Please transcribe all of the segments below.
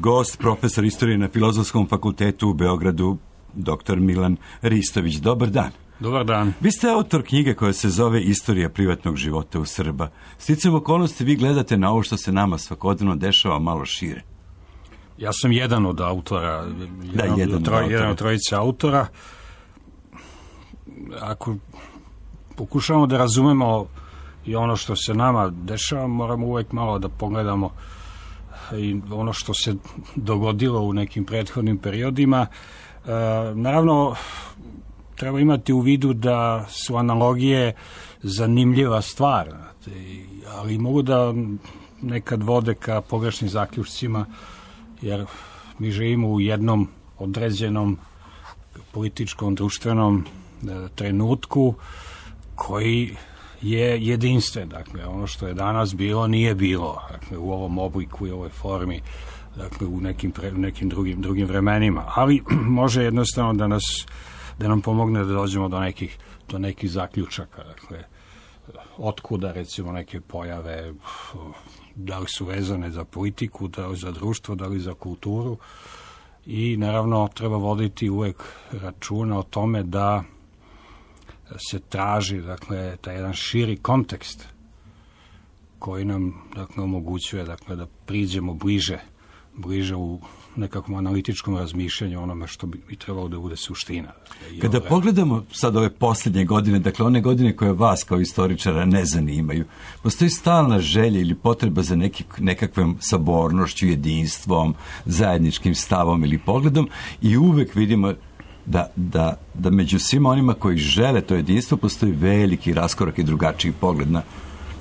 gost, profesor istorije na Filozofskom fakultetu u Beogradu, dr. Milan Ristović. Dobar dan. Dobar dan. Vi ste autor knjige koja se zove Istorija privatnog života u Srba. Sticajem okolnosti vi gledate na ovo što se nama svakodnevno dešava malo šire. Ja sam jedan od autora, jedan od trojice autora. Ako pokušavamo da razumemo i ono što se nama dešava, moramo uvek malo da pogledamo i ono što se dogodilo u nekim prethodnim periodima. Naravno, treba imati u vidu da su analogije zanimljiva stvar, ali mogu da nekad vode ka pogrešnim zaključcima, jer mi živimo u jednom određenom političkom, društvenom trenutku koji je jedinstven. Dakle, ono što je danas bilo, nije bilo. Dakle, u ovom obliku i ovoj formi, dakle, u nekim drugim vremenima. Ali može jednostavno da nam pomogne da dođemo do nekih zaključaka. Dakle, otkuda, recimo, neke pojave, da li su vezane za politiku, da li za društvo, da li za kulturu. I, naravno, treba voditi uvek računa o tome da se traži, dakle, taj jedan širi kontekst koji nam, dakle, omogućuje, dakle, da priđemo bliže u nekakvom analitičkom razmišljanju onome što bi trebalo da bude suština. Kada pogledamo sad ove posljednje godine, dakle one godine koje vas kao istoričara ne zanimaju, postoji stalna želja ili potreba za nekakvom sabornošću, jedinstvom, zajedničkim stavom ili pogledom i uvek vidimo da među svima onima koji žele to jedinstvo postoji veliki raskorak i drugačiji pogled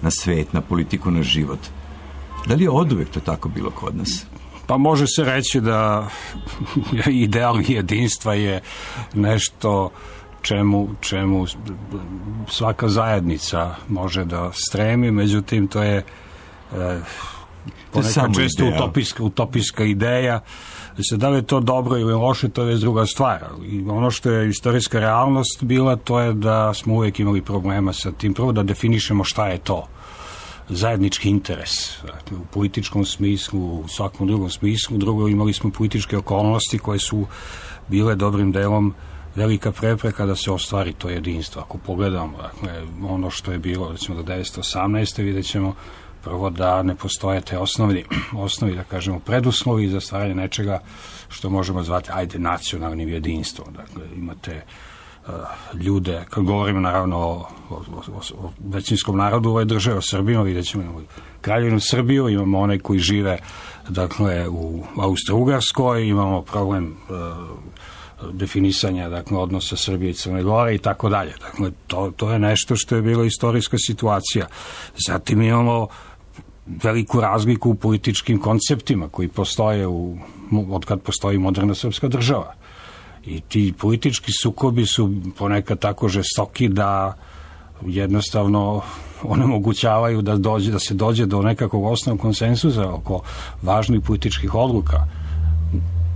na svet, na politiku, na život. Da li je oduvek to tako bilo kod nas? Pa može se reći da ideal jedinstva je nešto čemu svaka zajednica može da stremi, međutim to je ponekad često utopijska ideja. Da li je to dobro ili loše, to je druga stvar. I ono što je istorijska realnost bila, to je da smo uvijek imali problema sa tim. Prvo da definišemo šta je to zajednički interes, dakle, u političkom smislu, u svakom drugom smislu. Drugo, imali smo političke okolnosti koje su bile dobrim delom velika prepreka da se ostvari to jedinstvo. Ako pogledamo, dakle, ono što je bilo, recimo, do 1918. vidjet ćemo prvo da ne postoje te osnovi, da kažemo, preduslovi za stvaranje nečega što možemo zvati, nacionalnim jedinstvom. Dakle, imate ljude, kad govorimo naravno o većinskom narodu ove države, o Srbima, vidjet ćemo, imamo Kraljevinu Srbiju, imamo one koji žive, dakle, u Austro-Ugarskoj, imamo problem definisanja, dakle, odnosa Srbije i Crne Gore i tako dalje. Dakle, to je nešto što je bila istorijska situacija. Zatim imamo veliku razliku u političkim konceptima koji postoje od kad postoji moderna srpska država. I ti politički sukobi su ponekad tako žestoki da jednostavno onemogućavaju da se dođe do nekakvog osnovnog konsenzusa oko važnih političkih odluka.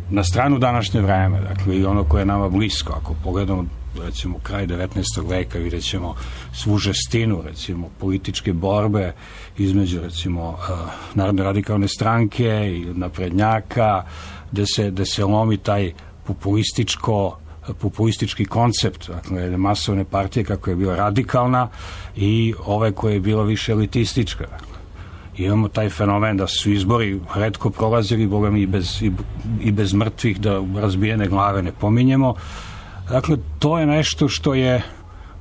Na stranu današnje vreme, dakle, i ono koje je nama blisko, ako pogledamo, recimo, kraj 19. veka, vidjet ćemo svu žestinu, recimo, političke borbe između, recimo, Narodne radikalne stranke i naprednjaka, gde se lomi taj populistički koncept, dakle, masovne partije kako je bila radikalna i ove koje je bila više elitistička. Imamo taj fenomen da su izbori retko prolazili, boga mi i bez mrtvih, da razbijene glave ne pominjemo. Dakle, to je nešto što je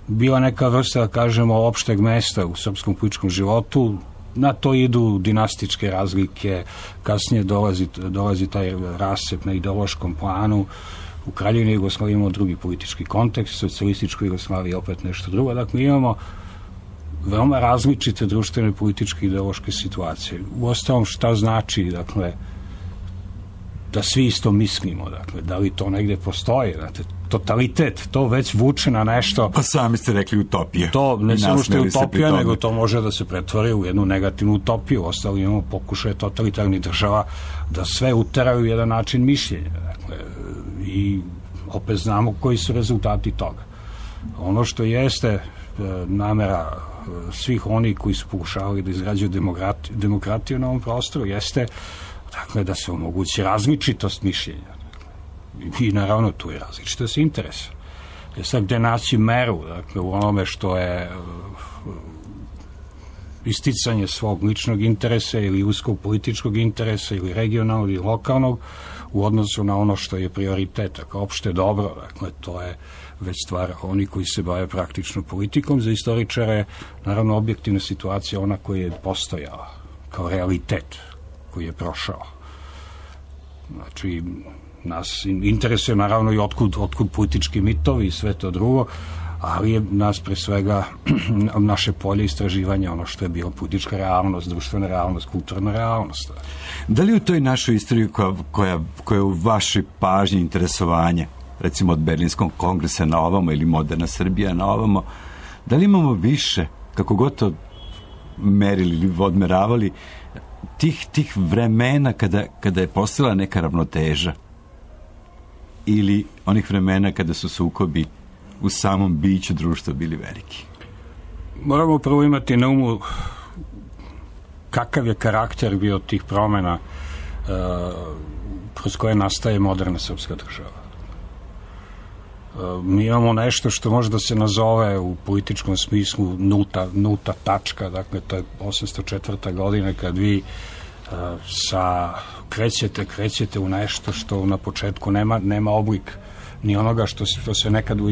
bila neka vrsta, da kažemo, opšteg mesta u srpskom političkom životu. Na to idu dinastičke razlike, kasnije dolazi taj rascep na ideološkom planu. U Kraljevini Jugoslaviji imamo drugi politički kontekst, socijalističkoj Jugoslaviji opet nešto drugo. Dakle, imamo veoma različite društvene, političke i ideološke situacije. Uostalom, šta znači, dakle, da svi isto mislimo, dakle, da li to negde postoji, dakle, totalitet, to već vuče na nešto. Pa sami ste rekli utopija. To ne samo što je utopija, nego to može da se pretvori u jednu negativnu utopiju. Ostalo imamo pokušaje totalitarnih država da sve uteraju u jedan način mišljenja. Dakle, i opet znamo koji su rezultati toga. Ono što jeste namera svih onih koji su pokušavali da izgrađuju demokratiju na ovom prostoru jeste dakle, da se omogući različitost mišljenja. I naravno tu je različitost interesa. Sad gde naći meru, dakle, u onome što je isticanje svog ličnog interesa ili uskog političkog interesa ili regionalnog ili lokalnog u odnosu na ono što je prioritet, kao opšte dobro, dakle, to je već stvar oni koji se bave praktično politikom. Za istoričare, naravno, objektivna situacija ona koja je postojala kao realitet koji je prošao. Znači, nas interesuje naravno i otkud politički mitovi i sve to drugo, ali je nas pre svega naše polje istraživanja, ono što je bilo politička realnost, društvena realnost, kulturna realnost. Da li u toj našoj istoriji koja je u vašoj pažnji interesovanje, recimo od Berlinskog kongresa na ovamo ili moderna Srbija na ovamo, da li imamo više, kako god to merili ili odmeravali, tih vremena kada je postala neka ravnoteža ili onih vremena kada su sukobi u samom biću društva bili veliki? Moramo prvo imati na umu kakav je karakter bio tih promena kroz koje nastaje moderna srpska država. Mi imamo nešto što može da se nazove u političkom smislu nulta tačka, dakle to je 804. godina kad vi krećete u nešto što na početku nema oblik ni onoga što se nekad u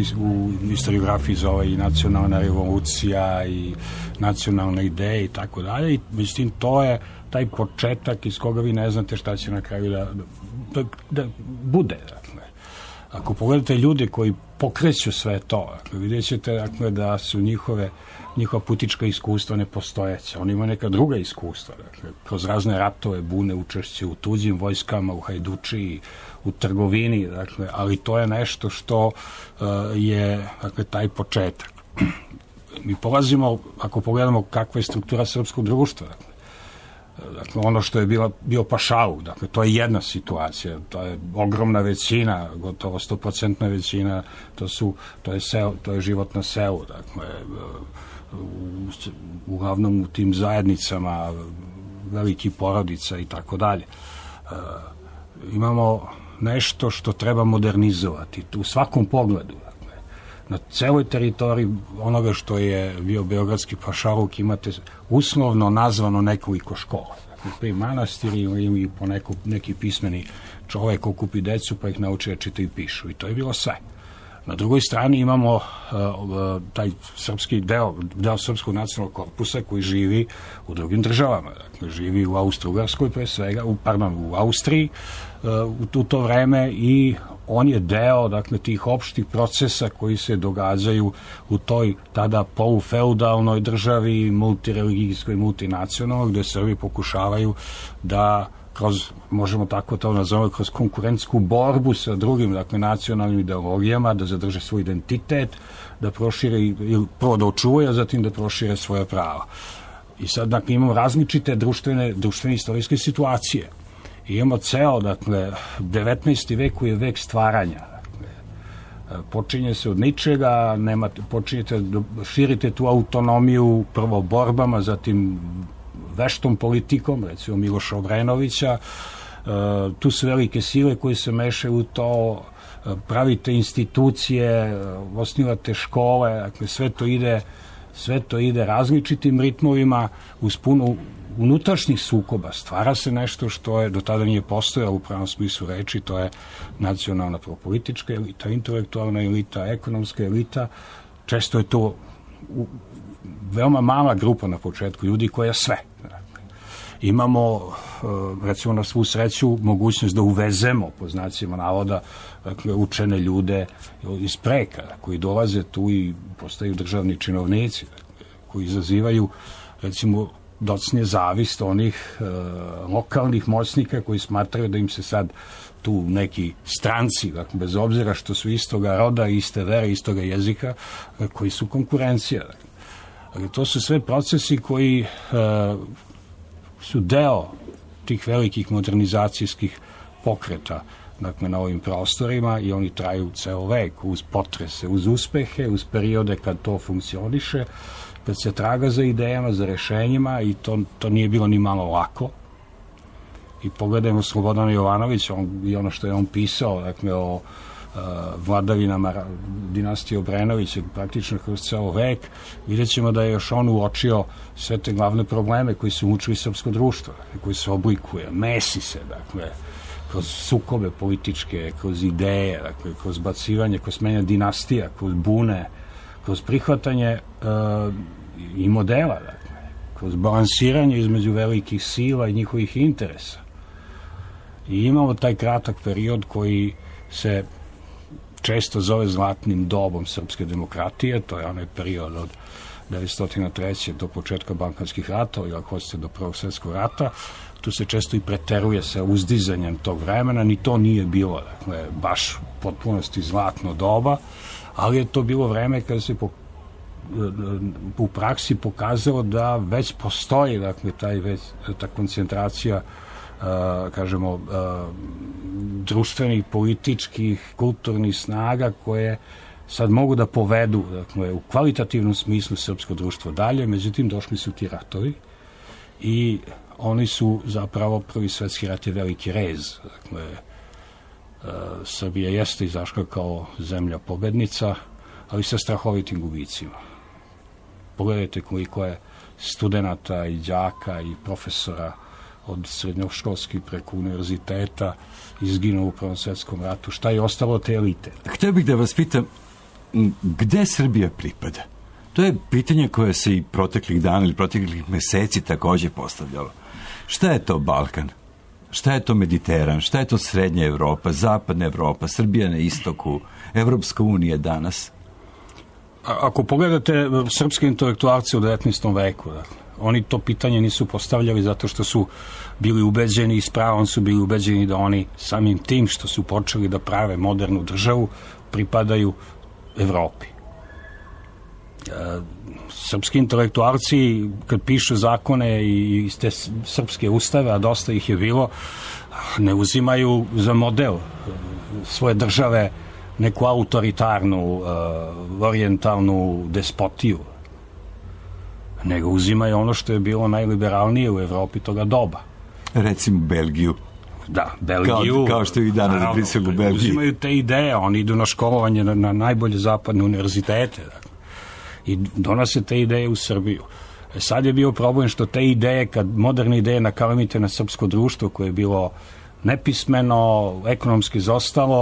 historiografiji zove i nacionalna revolucija i nacionalne ideje i tako dalje. I mislim, to je taj početak iz koga vi ne znate šta će na kraju da bude. Dakle. Ako pogledate ljude koji pokreću sve to, dakle, vidjet ćete dakle, da su njihova politička iskustva nepostojeća. Oni imaju neka druga iskustva, dakle, kroz razne ratove, bune, učešće u tuđim vojskama, u hajdučiji, u trgovini, dakle, ali to je nešto što je dakle, taj početak. Mi polazimo, ako pogledamo kakva je struktura srpskog društva, dakle, ono što je bio pašaluk, dakle, to je jedna situacija, to je ogromna većina, gotovo 100% većina, to je život na selu, dakle, uglavnom u tim zajednicama velikih porodica i tako dalje. Imamo nešto što treba modernizovati u svakom pogledu. Dakle, na celoj teritoriji onoga što je bio beogradski pašaluk imate uslovno nazvano nekoliko škola. Dakle, manastiri ili po neki pismeni čovek okupi decu pa ih nauči da čitaju i pišu. I to je bilo sve. Na drugoj strani imamo taj srpski deo srpskog nacionalnog korpusa koji živi u drugim državama. Dakle, živi u Austro-Ugarskoj pre svega, u Austriji u to vreme i on je deo dakle, tih opštih procesa koji se događaju u toj tada polufeudalnoj državi, multireligijskoj, multinacionalnoj, gde Srbi pokušavaju da možemo tako to nazovemo, kroz konkurentsku borbu sa drugim, dakle, nacionalnim ideologijama, da zadrže svoj identitet, da prošire, ili prvo da očuvaju, a zatim da prošire svoje prava. I sad, dakle, imamo različite društvene istorijske situacije. I imamo ceo, dakle, 19. vek koji je vek stvaranja. Dakle, počinje se od ničega, počinjete da širite tu autonomiju prvo borbama, zatim veštom politikom, recimo Miloša Obrenovića, tu su velike sile koje se mešaju u to, pravite institucije, osnivate škole, dakle sve to ide različitim ritmovima uz puno unutrašnjih sukoba. Stvara se nešto što je do tada nije postojalo u pravom smislu reči, to je nacionalna politička elita, intelektualna elita, ekonomska elita. Često je to veoma mala grupa na početku ljudi koja sve. Imamo, recimo na svu sreću, mogućnost da uvezemo, po znacima navoda, dakle, učene ljude iz preka, koji dolaze tu i postaju državni činovnici, koji izazivaju, recimo, docnije zavist onih lokalnih moćnika koji smatraju da im se sad tu neki stranci, dakle, bez obzira što su istoga roda, iste vere, istoga jezika, koji su konkurencija. Dakle, to su sve procesi koji su deo tih velikih modernizacijskih pokreta, dakle, na ovim prostorima i oni traju ceo vek uz potrese, uz uspehe, uz periode kad to funkcioniše, kad se traga za idejama, za rešenjima i to nije bilo ni malo lako. i pogledajmo Slobodana Jovanovića i ono što je on pisao, dakle, o vladavinama dinastije Obrenovića praktično kroz ceo vek, vidjet ćemo da je još on uočio sve te glavne probleme koji su mučili srpsko društvo, koji se oblikuje, mesi se, dakle, kroz sukobe političke, kroz ideje, dakle, kroz bacivanje, kroz menjanje dinastija, kroz bune, kroz prihvatanje i modela, dakle, kroz balansiranje između velikih sila i njihovih interesa. I imamo taj kratak period koji se često zove zlatnim dobom srpske demokratije, to je onaj period od 1903. do početka Balkanskih ratova, ili ako hoćete do Prvog svjetskog rata. Tu se često i preteruje sa uzdizanjem tog vremena, ni to nije bilo, dakle, baš u potpunosti zlatno doba, ali je to bilo vreme kada se u praksi pokazalo da već postoji, dakle, ta koncentracija kažemo društvenih, političkih, kulturnih snaga koje sad mogu da povedu, dakle, u kvalitativnom smislu srpsko društvo dalje, međutim došli su ti ratovi i oni su zapravo, Prvi svjetski rat je veliki rez, dakle, Srbija jeste izašla kao zemlja pobednica, ali sa strahovitim gubicima. Pogledajte koliko je studenata i đaka i profesora od srednjoškolskih preko univerziteta izginuo u Prvom svjetskom ratu. Šta je ostalo od te elite? Htio bih da vas pitam, gde Srbija pripada? To je pitanje koje se i proteklih dana ili proteklih meseci također postavljalo. Šta je to Balkan? Šta je to Mediteran? Šta je to Srednja Evropa, Zapadna Evropa, Srbija na istoku, Evropska unija danas? Ako pogledate srpske intelektualce u 19. veku, oni to pitanje nisu postavljali zato što su bili ubeđeni i s pravom su bili ubeđeni da oni samim tim što su počeli da prave modernu državu pripadaju Evropi. Srpski intelektualci kad pišu zakone i te srpske ustave, a dosta ih je bilo, ne uzimaju za model svoje države neku autoritarnu, orijentalnu despotiju, nego uzimaju ono što je bilo najliberalnije u Evropi toga doba. Recimo Belgiju. Da, Belgiju. Kao što je i danas u Briselu Belgiji. Uzimaju te ideje, oni idu na školovanje na najbolje zapadne univerzitete i donose te ideje u Srbiju. Sad je bio problem što te ideje, kad moderne ideje nakalemite na srpsko društvo koje je bilo nepismeno, ekonomski zostalo,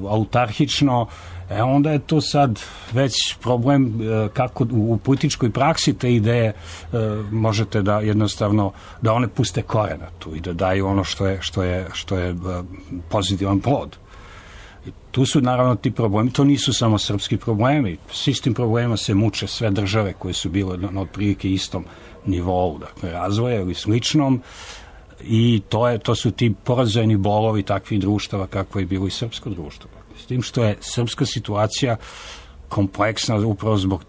autarhično, onda je to sad već problem kako u političkoj praksi te ideje možete da jednostavno, da one puste korena tu i da daju ono što je pozitivan plod. I tu su naravno ti problemi, to nisu samo srpski problemi, s istim problemima se muče sve države koje su bile na otprilike istom nivou, dakle razvoja ili sličnom, i to su ti porazajni bolovi takvih društava kako je bilo i srpsko društvo. S tim što je srpska situacija kompleksna upravo zbog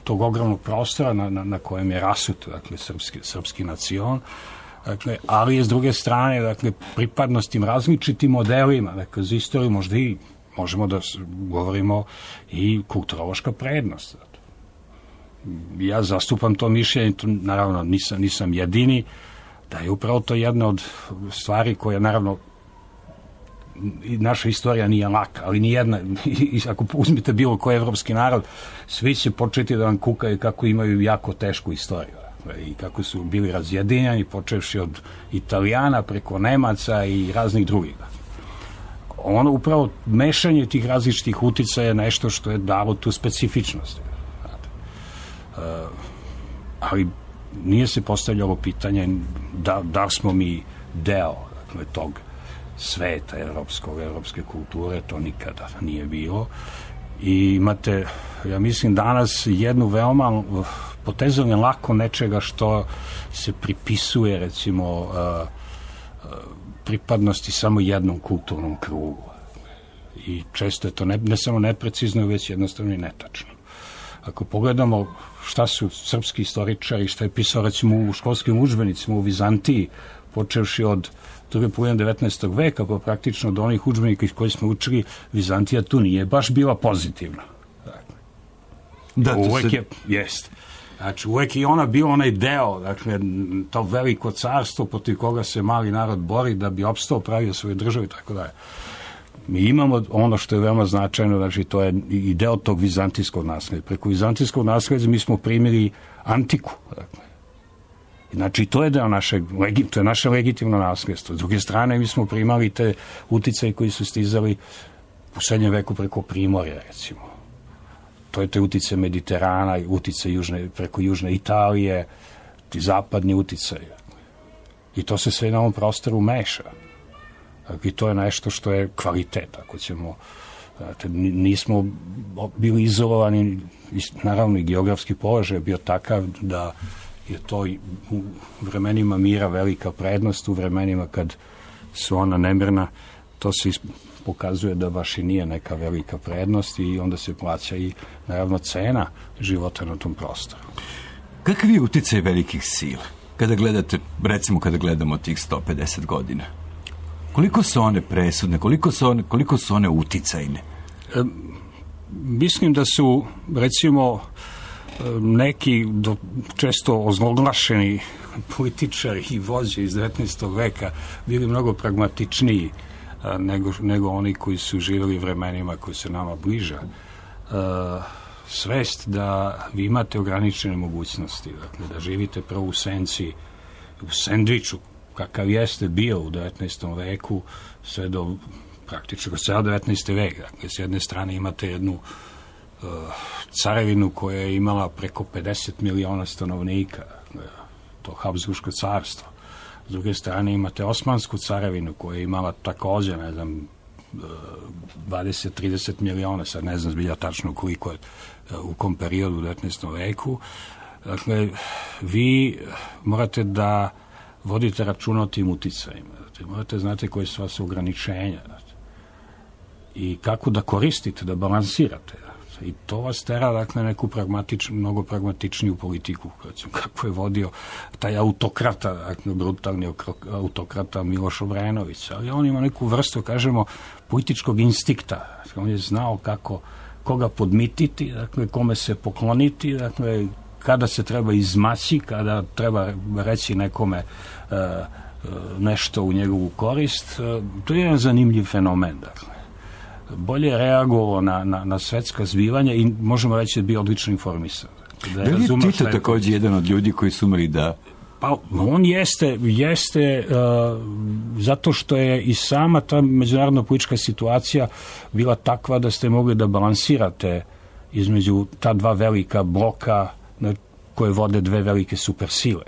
tog ogromnog prostora na kojem je rasut, dakle, srpski nacion, dakle, ali je s druge strane, dakle, pripadnost tim različitim modelima, dakle, za istoriju možda i možemo da govorimo i kulturološka prednost. Ja zastupam to mišljenje, naravno nisam jedini, da je upravo to jedna od stvari koja, naravno, naša istorija nije laka, ali nijedna, ako uzmite bilo koji evropski narod, svi će početi da vam kukaju kako imaju jako tešku istoriju i kako su bili razjedinjeni, počevši od Italijana preko Nemaca i raznih drugih. Ono upravo mešanje tih različitih uticaja je nešto što je dalo tu specifičnost. Ali nije se postavljalo pitanje da smo mi deo, dakle, tog sveta evropske kulture, to nikada nije bilo. I imate, ja mislim, danas jednu veoma potezanje lako nečega što se pripisuje, recimo, pripadnosti samo jednom kulturnom krugu. I često je to ne samo neprecizno, već jednostavno i netačno. Ako pogledamo šta su srpski istoričari, šta je pisao, recimo, u školskim udžbenicima u Vizantiji, počevši od druge polovine 19. veka, pa praktično do onih udžbenika iz kojih smo učili, Vizantija tu nije baš bila pozitivna. Da, uvek je, jest. Znači, uvek i ona bio onaj deo, dakle, to veliko carstvo protiv koga se mali narod bori da bi opstao, pravio svoju državu i tako dalje. Mi imamo ono što je veoma značajno, znači to je i deo tog vizantijskog nasleđa. Preko vizantijskog nasleđa mi smo primili antiku. Dakle. Znači, to je deo to je naše legitimno nasledstvo. S druge strane, mi smo primali te uticaje koji su stizali u srednjem veku preko Primorja, recimo. To je te utice Mediterana, utice preko južne Italije, ti zapadni uticaj. I to se sve na ovom prostoru meša. I to je nešto što je kvalitet, ako ćemo. Znate, nismo bili izolovani, naravno i geografski položaj je bio takav da je to u vremenima mira velika prednost, u vremenima kad su ona nemirna, to se pokazuje da baš i nije neka velika prednost i onda se plaća i naravno cena života na tom prostoru. Kakvi je uticaj velikih sila? Kada gledate, recimo kada gledamo tih 150 godina, koliko su one presudne, koliko su one uticajne? Mislim da su, recimo, neki često ozloglašeni političari i vođe iz 19. veka bili mnogo pragmatičniji nego oni koji su živjeli vremenima koji su nama bliža. Svest da vi imate ograničene mogućnosti, dakle, da živite prvo u senci, u sendviču, kakav jeste bio u 19. veku, sve do praktično ceo 19. vek. Dakle, s jedne strane imate jednu carevinu koja je imala preko 50 miliona stanovnika, to Habsburško carstvo. S druge strane imate Osmansku carevinu koja je imala također, 20-30 miliona, sad ne znam zbilja tačno koliko je u kom periodu u 19. veku. Dakle, vi morate da vodite računa o tim uticajima. Morate znate koje su vas ograničenja i kako da koristite, da balansirate. I to vas tera, dakle, neku mnogo pragmatičniju politiku, kako je vodio taj autokrata, dakle, brutalni autokrata Miloš Obrenović. Ali on ima neku vrstu, kažemo, političkog instikta. On je znao koga podmititi, dakle, kome se pokloniti, dakle, kada se treba izmaći, kada treba reći nekome nešto u njegovu korist. To je jedan zanimljiv fenomen, dakle. Bolje reagovao na svetska zbivanja i možemo reći da je bio odlično informisan. Da li je Tito također jedan od ljudi koji su umeli da... Pa on jeste zato što je i sama ta međunarodna politička situacija bila takva da ste mogli da balansirate između ta dva velika bloka koje vode dve velike supersile.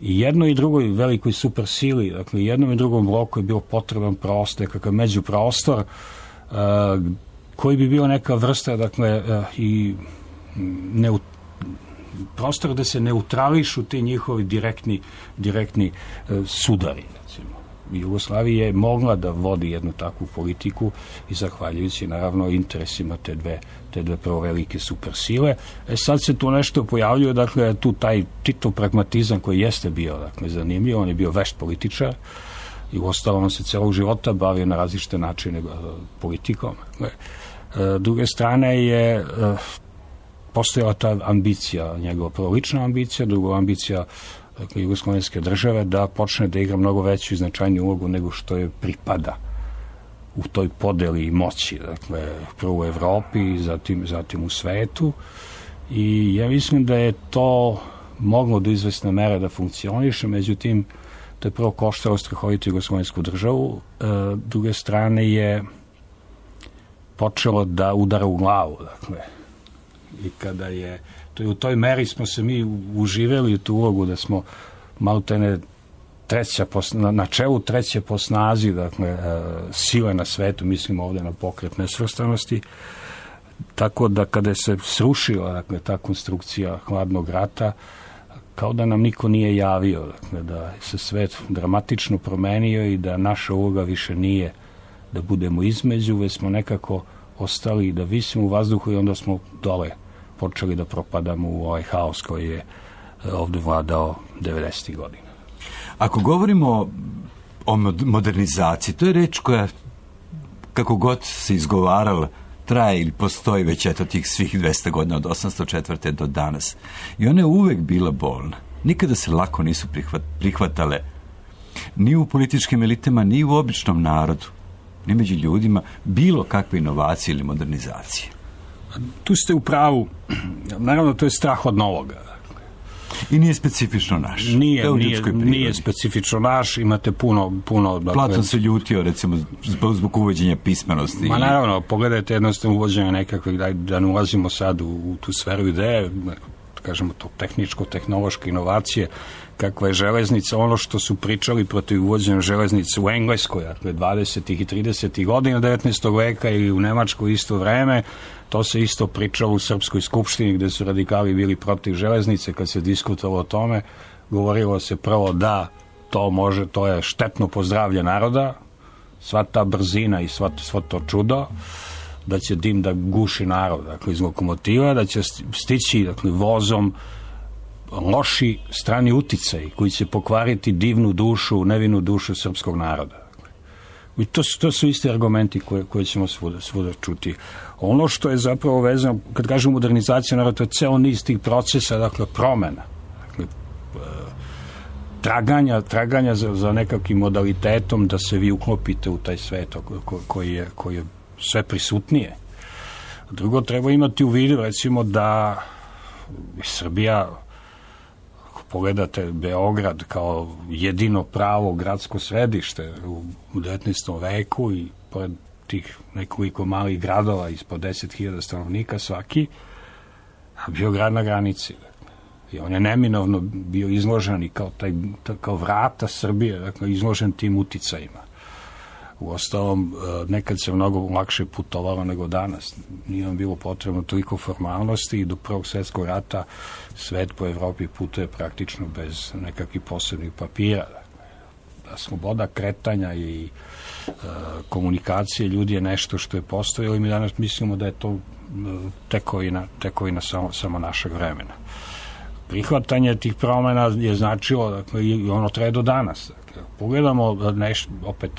I jednoj i drugoj velikoj supersili, dakle jednom i drugom bloku je bio potreban prostor, kakav međuprostor, koji bi bio neka vrsta, dakle, i prostor da se neutrališu ti njihovi direktni sudari, recimo. Jugoslavija je mogla da vodi jednu takvu politiku i zahvaljujući naravno interesima te dve prvo velike supersile. Sad se tu nešto pojavljuje, dakle tu taj Tito pragmatizam koji jeste bio, dakle, zanimljiv, on je bio vešt političar i uostalom se celog života bavio na različite načine politikom. Druge strane je postojala ta ambicija, njegova prvo lična ambicija, drugo ambicija, dakle, jugoslovenske države da počne da igra mnogo veću i značajniju ulogu nego što je pripada u toj podeli moći, dakle, prvo u Evropi, zatim u svetu. I ja mislim da je to moglo do izvesne mere da funkcioniše, međutim, to je prvo koštalo strahovitu jugoslovensku državu, druge strane je počelo da udara u glavu, dakle, i kada je to i u toj meri smo se mi uživeli u tu ulogu da smo maltene na čelu treće po snazi, dakle, sile na svetu, mislim ovdje na pokret nesvrstanosti, tako da kada se srušila, dakle, ta konstrukcija hladnog rata, kao da nam niko nije javio, dakle, da se svet dramatično promenio i da naša uloga više nije da budemo između, već smo nekako ostali da visimo u vazduhu i onda smo dole počeli da propadamo u ovaj haos koji je ovdje vladao 90. godina. Ako govorimo o modernizaciji, to je reč koja, kako god se izgovarala, traje ili postoji već eto tih svih 200 godina od 804. do danas. I ona je uvek bila bolna. Nikada se lako nisu prihvatale ni u političkim elitama, ni u običnom narodu, ni među ljudima, bilo kakve inovacije ili modernizacije. Tu ste u pravu. Naravno, to je strah od novoga. I nije specifično naš. Nije specifično naš, imate puno... Dakle, Platon se ljutio, recimo, zbog uvođenja pismenosti. Ma naravno, pogledajte jednostavno uvođenje nekakve, da ne ulazimo sad u tu sferu ideje, kažemo to tehničko-tehnološke inovacije, kakva je železnica, ono što su pričali protiv uvođenja železnice u Engleskoj, dakle 20. i 30. godina 19. veka ili u Nemačkoj isto vreme, to se isto pričalo u Srpskoj skupštini gde su radikali bili protiv železnice. Kad se diskutovalo o tome, govorilo se prvo da to je štetno po zdravlje naroda, sva ta brzina i svo to čudo, da će dim da guši narod, dakle iz lokomotiva, da će stići dakle, vozom loši strani uticaj koji će pokvariti divnu dušu, nevinu dušu srpskog naroda. I to su isti argumenti koje ćemo svuda čuti. Ono što je zapravo vezano, kad kažem modernizacija naroda, to je ceo niz tih procesa, dakle promena, dakle, traganja za nekakvim modalitetom da se vi uklopite u taj svet koji je sve prisutnije. Drugo, treba imati u vidu, recimo, da Srbija, ako pogledate Beograd kao jedino pravo gradsko središte u 19. veku i pored tih nekoliko malih gradova ispod 10.000 stanovnika svaki, a bio grad na granici. I on je neminovno bio izložen i kao vrata Srbije, dakle, izložen tim uticajima. Uostalom, nekad se mnogo lakše putovalo nego danas. Nije vam bilo potrebno toliko formalnosti i do Prvog svjetskog rata svet po Evropi putuje praktično bez nekakvih posebnih papira. Da sloboda kretanja i komunikacije ljudi je nešto što je postojalo i mi danas mislimo da je to tekovina samo našeg vremena. Prihvatanje tih promjena je značilo, dakle, i ono traje do danas. Dakle, pogledamo opet,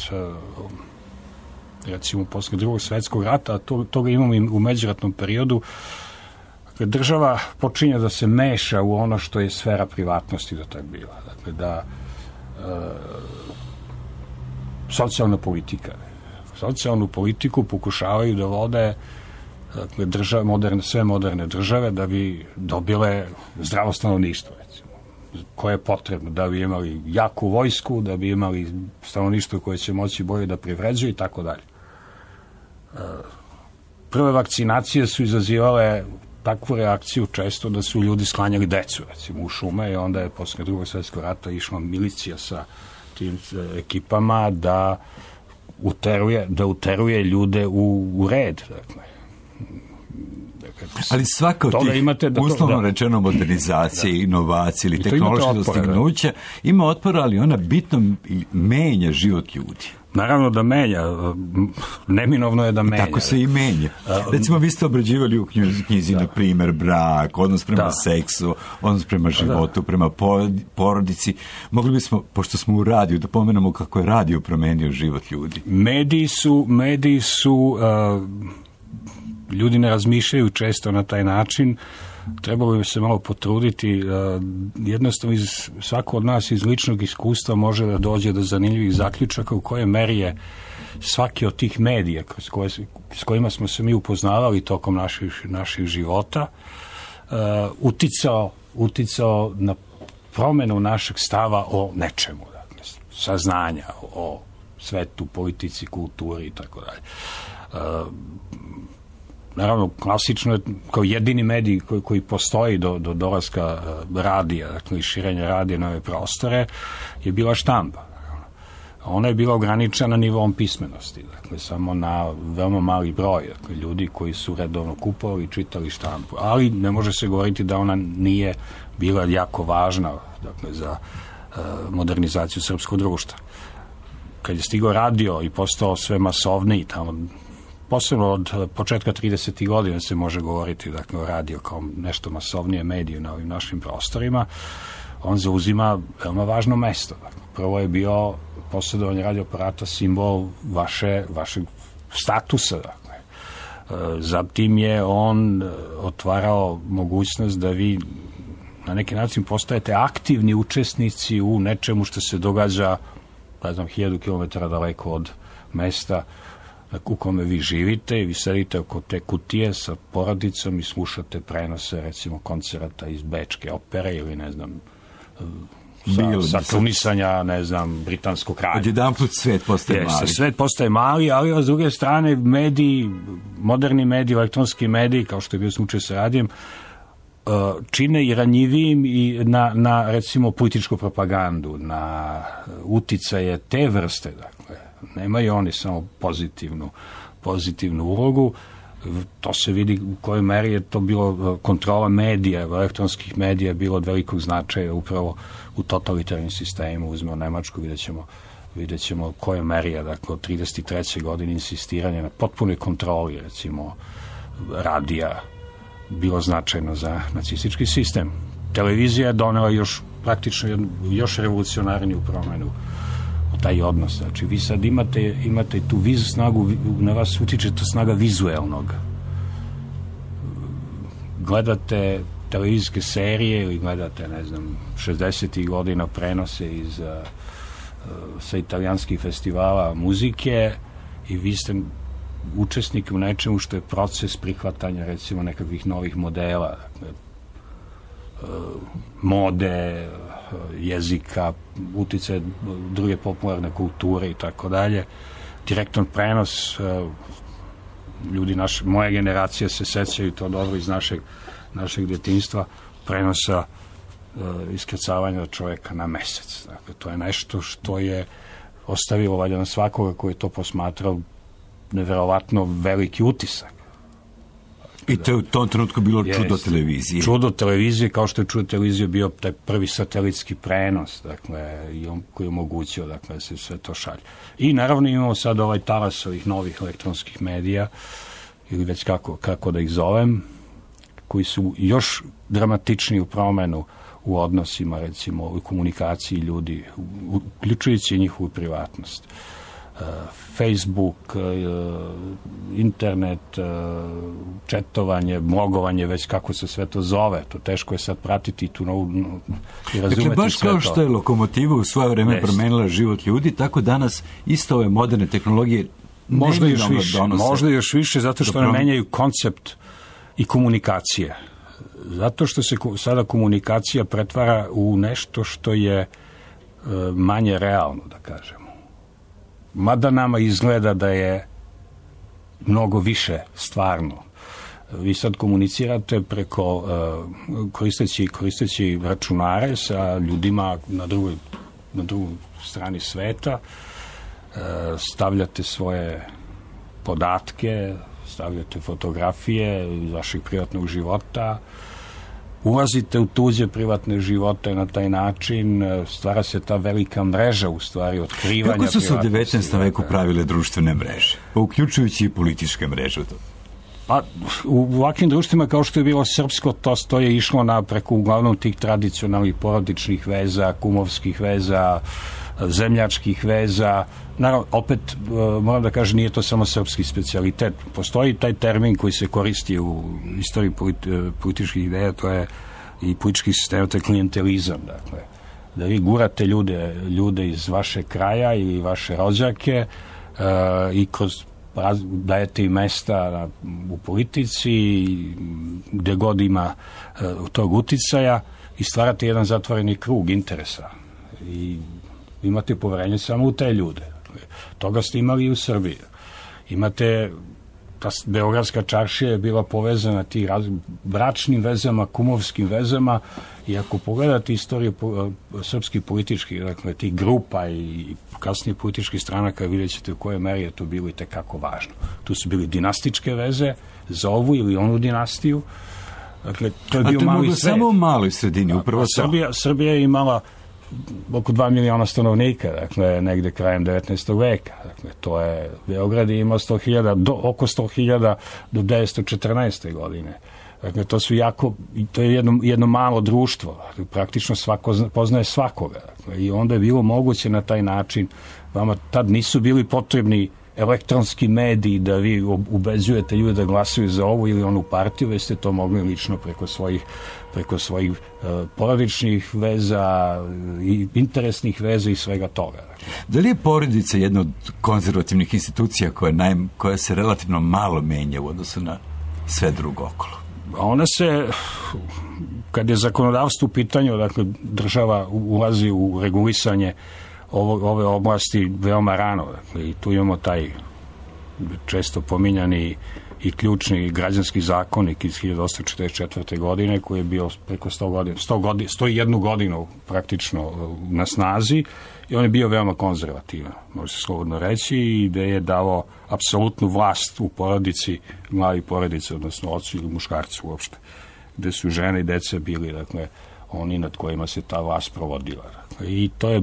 recimo, posle Drugog svjetskog rata, a toga imamo i u međuratnom periodu, dakle, država počinje da se meša u ono što je sfera privatnosti do tad bila. Dakle, da socijalnu politiku pokušavaju da vode, dakle, sve moderne države da bi dobile zdravo stanovništvo, recimo, koje je potrebno, da bi imali jaku vojsku, da bi imali stanovništvo koje će moći bolje da privređuje i tako dalje. Prve vakcinacije su izazivale takvu reakciju često da su ljudi sklanjali decu, recimo, u šume i onda je posle Drugog svjetskog rata išla milicija sa tim ekipama da uteruje ljude u red, dakle. Ali svaka od tih uslovno rečeno modernizacije, inovacije ili tehnološke dostignuća ima otpora, ali ona bitno menja život ljudi. Naravno da menja, neminovno je da menja. Tako se i menja. Recimo, vi ste obrađivali u knjizi, na primjer, brak, odnos prema seksu, odnos prema životu, prema porodici. Mogli bismo, pošto smo u radiju, da pomenemo kako je radio promenio život ljudi. Mediji su ljudi ne razmišljaju često na taj način, trebalo bi se malo potruditi, jednostavno svako od nas iz ličnog iskustva može da dođe do zanimljivih zaključaka u kojoj meri je svaki od tih medija s kojima smo se mi upoznavali tokom naših života uticao na promenu našeg stava o nečemu, dakle, saznanja o svetu, politici, kulturi i tako dalje. Naravno, klasično je kao jedini medij koji postoji do dolaska radija, dakle, i širenja radija na ove prostore, je bila štampa. Ona je bila ograničena nivom pismenosti, dakle, samo na veoma mali broj, dakle, ljudi koji su redovno kupovali i čitali štampu. Ali ne može se govoriti da ona nije bila jako važna, dakle, za modernizaciju srpskog društva. Kad je stigao radio i postao sve masovniji, tamo posebno od početka 30. godina se može govoriti, dakle, o radio kao nešto masovnije mediju na ovim našim prostorima, on zauzima veoma važno mesto. Dakle, prvo je bio posjedovanje radioaparata simbol vašeg statusa. Dakle. Zatim je on otvarao mogućnost da vi na neki način postajete aktivni učesnici u nečemu što se događa, ne znam, 1000 km daleko od mesta u kome vi živite i vi sedite oko te kutije sa porodicom i slušate prenose, recimo, koncerata iz Bečke opere ili, ne znam, sa krunisanja, ne znam, britanskog kralja. Odjedanput svet postaje mali. Svet postaje mali, ali s druge strane mediji, moderni mediji, elektronski mediji, kao što je bio slučaj sa radijem, čine i ranjivijim i na recimo političku propagandu, na uticaje te vrste. Dakle, nemaju oni samo pozitivnu ulogu. To se vidi u kojoj meri je to bilo kontrola medija, elektronskih medija, bilo od velikog značaja upravo u totalitarnim sistemu. Uzmemo Nemačku, vidjet ćemo koje meri je, dakle, od 33. godine insistiranje na potpunoj kontroli, recimo, radija bilo značajno za nacistički sistem. Televizija je donela praktično još revolucionarniju promenu u taj odnos. Znači, vi sad imate tu snagu, na vas utiče to snaga vizuelnog. Gledate televizijske serije ili gledate, ne znam, 60. godina prenose sa italijanskih festivala muzike i vi ste učesnik u nečemu što je proces prihvatanja, recimo, nekakvih novih modela, mode, jezika, uticaje druge popularne kulture i tako dalje. Direktan prenos, ljudi moje generacije se sećaju to dobro iz našeg djetinjstva, prenosa iskrcavanja čovjeka na mesec. Dakle, to je nešto što je ostavilo valjda na svakoga koji je to posmatrao neverovatno veliki utisak. I to je u tom trenutku bilo čudo televizije. Čudo televizije, kao što je čudo televizije bio taj prvi satelitski prenos, dakle, i on koji je omogućio, dakle, da se sve to šalje. I naravno imamo sad ovaj talas ovih novih elektronskih medija, ili već kako da ih zovem, koji su još dramatičniji u promenu u odnosima, recimo, u komunikaciji ljudi, uključujući njihovu privatnost. Facebook, internet, četovanje, blogovanje, već kako se sve to zove. To teško je sad pratiti tu novu i razumeti sve to. Dakle, baš kao što je lokomotiva u svoje vreme promenila život ljudi, tako danas isto ove moderne tehnologije možda još više, zato što ne menjaju koncept i komunikacije. Zato što se sada komunikacija pretvara u nešto što je manje realno, da kažemo. Mada nama izgleda da je mnogo više stvarno. Vi sad komunicirate preko koristeći računare sa ljudima na drugoj strani sveta, stavljate svoje podatke, stavljate fotografije iz vašeg privatnog života, ulazite u tuđe privatne živote na taj način, stvara se ta velika mreža, u stvari, otkrivanja. Kako su se u 19. veku pravile društvene mreže? Pa uključujući i političke mreže. Pa, u ovakvim društvima kao što je bilo srpsko, to je išlo preko uglavnom tih tradicionalnih porodičnih veza, kumovskih veza, zemljačkih veza. Naravno, opet, moram da kažem, nije to samo srpski specijalitet. Postoji taj termin koji se koristi u istoriji političkih ideja, to je i politički sistem, to je klijentelizam. Dakle, da vi gurate ljude iz vaše kraja i vaše rođake i dajete im mesta u politici, gde god ima tog uticaja i stvarate jedan zatvoreni krug interesa. I imate poverenje samo u te ljude. Toga ste imali i u Srbiji. Imate, ta Beogradska čaršija je bila povezana ti bračnim vezama, kumovskim vezama, i ako pogledate istoriju srpskih političkih, dakle, tih grupa i kasnije političkih stranaka, vidjet ćete u kojoj meri je to bilo i tekako važno. Tu su bili dinastičke veze za ovu ili onu dinastiju. Dakle, to je bio mali svet. Samo u maloj sredini, upravo to. Srbija je imala oko 2 miliona stanovnika, dakle, negde krajem 19. veka. Dakle, to je, Beograd je imao oko 100.000 do 1914. godine. Dakle, to je jedno malo društvo. Dakle, praktično svako poznaje svakoga. Dakle, i onda je bilo moguće na taj način, vama tad nisu bili potrebni elektronski mediji da vi ubeđujete ljude da glasuju za ovu ili onu partiju, već ste to mogli lično preko svojih porodičnih veza i interesnih veza i svega toga. Da li je porodica jedna od konzervativnih institucija koja se relativno malo menja u odnosu na sve drugo okolo? Ona se, kad je zakonodavstvo u pitanju, dakle država ulazi u regulisanje ove oblasti veoma rano. Dakle, i tu imamo taj često pominjani i ključni građanski zakonik iz 1844. godine koji je bio preko 101 godinu praktično na snazi i on je bio veoma konzervativan, može se slobodno reći, i da je dao apsolutnu vlast u porodici, glavi porodice, odnosno ocu ili muškarcu uopšte, gde su žene i dece bili, dakle, oni nad kojima se ta vlast provodila. I to je,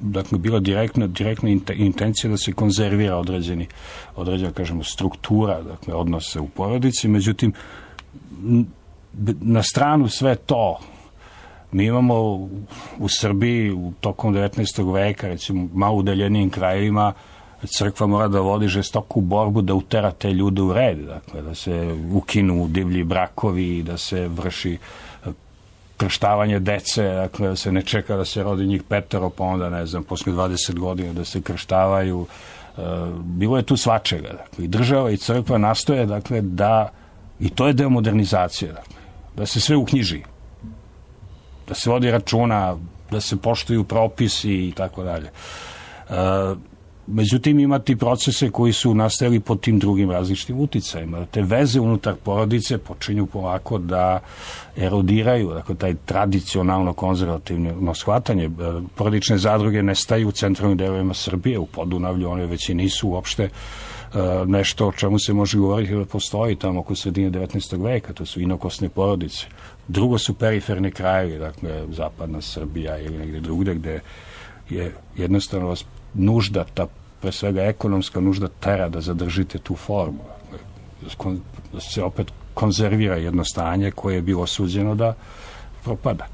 dakle, bila direktna intencija da se konzervira određena, kažemo, struktura, dakle, odnose u porodici. Međutim, na stranu sve to, mi imamo u Srbiji tokom 19. veka, recimo, malo udaljenijim krajevima, crkva mora da vodi žestoku borbu da utera te ljude u red, dakle, da se ukinu divlji brakovi, da se vrši krštavanje dece, dakle, da se ne čeka da se rodi njih 5, pa onda, ne znam, posle 20 godina da se krštavaju. Bilo je tu svačega. Dakle, i država i crkva nastoje, dakle, da, i to je deo modernizacije, dakle, da se sve uknjiži, da se vodi računa, da se poštuju propisi i tako dalje. Međutim, imati procese koji su nastajali pod tim drugim različitim uticajima. Te veze unutar porodice počinju polako da erodiraju, dakle, taj tradicionalno konzervativno shvatanje. Porodične zadruge nestaju u centralnim delovima Srbije, u Podunavlju, one već i nisu uopšte nešto o čemu se može govoriti da postoji tamo oko sredine 19. veka, to su inokosne porodice. Drugo su periferni krajevi, dakle, zapadna Srbija ili negde drugde, gde je jednostavno nužda, ta pre svega ekonomska nužda tera da zadržite tu formu. Da se opet konzervira jedno stanje koje je bilo osuđeno da propada.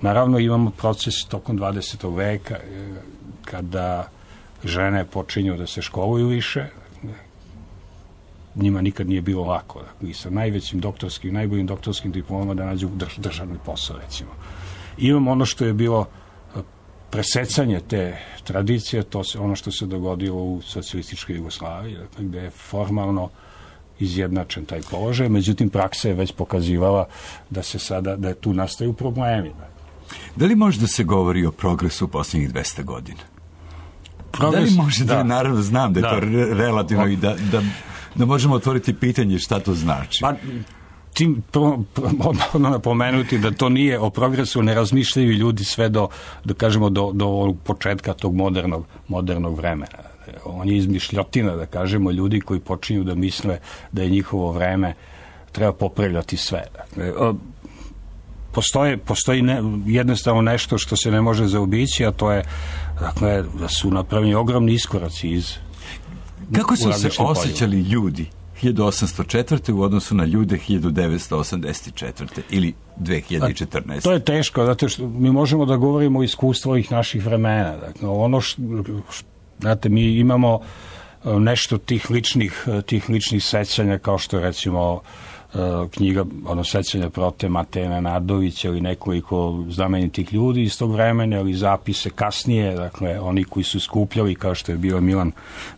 Naravno imamo proces tokom 20. veka kada žene počinju da se školuju više. Njima nikad nije bilo lako. I sa najboljim doktorskim diplomama da nađu državni posao, recimo. Imamo ono što je bilo presecanje te tradicije, to se ono što se dogodilo u socijalističkoj Jugoslaviji, dakle, gde je formalno izjednačen taj položaj, međutim praksa je već pokazivala da je tu nastaju problemi. Da li može da se govori o progresu u posljednjih 200 godina? Da li može da, naravno znam da je to relativno i da možemo otvoriti pitanje šta to znači? Pa, tim odmah napomenuti da to nije o progresu, ne razmišljaju ljudi sve do kažemo, do početka tog modernog vremena. On je izmišljotina, da kažemo, ljudi koji počinju da misle da je njihovo vreme, treba popravljati sve. Postoji jednostavno nešto što se ne može zaobići, a to je, dakle, da su napravljeni ogromni iskoraci iz... Kako su se osjećali ljudi 1804. u odnosu na ljude 1984. ili 2014. To je teško, zato što mi možemo da govorimo o iskustvu ovih naših vremena. Dakle, znate, mi imamo nešto tih ličnih sećanja, kao što je, recimo, knjiga, sećanja prote Mateja Nenadovića ili nekoliko znamenitih ljudi iz tog vremena, ili zapise kasnije, dakle, oni koji su skupljali, kao što je bio Milan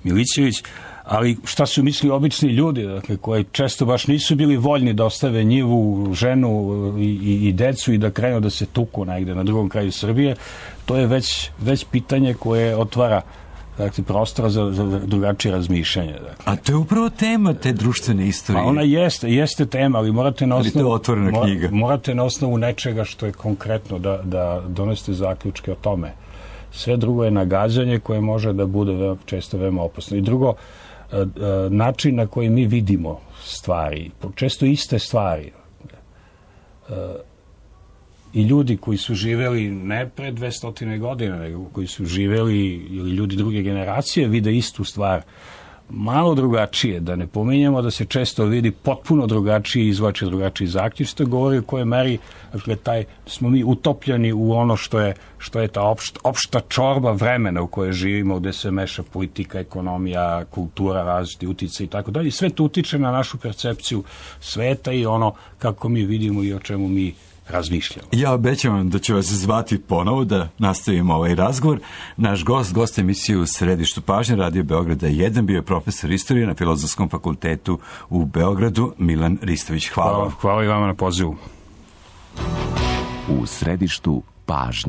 Milićević. Ali šta su mislili obični ljudi, dakle, koji često baš nisu bili voljni da ostave njivu, ženu i decu i da krenu da se tuku negde na drugom kraju Srbije, to je već pitanje koje otvara, dakle, prostora za drugačije razmišljanje. Dakle. A to je upravo tema te društvene istorije. Pa ona jeste tema, ali morate na osnovu nečega što je konkretno da donesete zaključke o tome. Sve drugo je nagađanje koje može da bude često veoma opasno. I drugo, način na koji mi vidimo stvari, često iste stvari. I ljudi koji su živeli ne pre 200 godina, nego koji su živeli, ili ljudi druge generacije, vide istu stvar malo drugačije, da ne pominjamo da se često vidi potpuno drugačije, izvače drugačiji zaključak, što govori u kojoj meri, dakle, smo mi utopljeni u ono što je ta opšta čorba vremena u kojoj živimo, gde se meša politika, ekonomija, kultura, različiti utice i tako dalje. Sve to utiče na našu percepciju sveta i ono kako mi vidimo i o čemu mi razmišljamo. Ja obećavam da ću vas zvati ponovo da nastavimo ovaj razgovor. Naš gost emisije u Središtu pažnje Radio Beograda 1 bio je profesor istorije na Filozofskom fakultetu u Beogradu, Milan Ristović. Hvala. Hvala i vama na pozivu. U Središtu pažnje.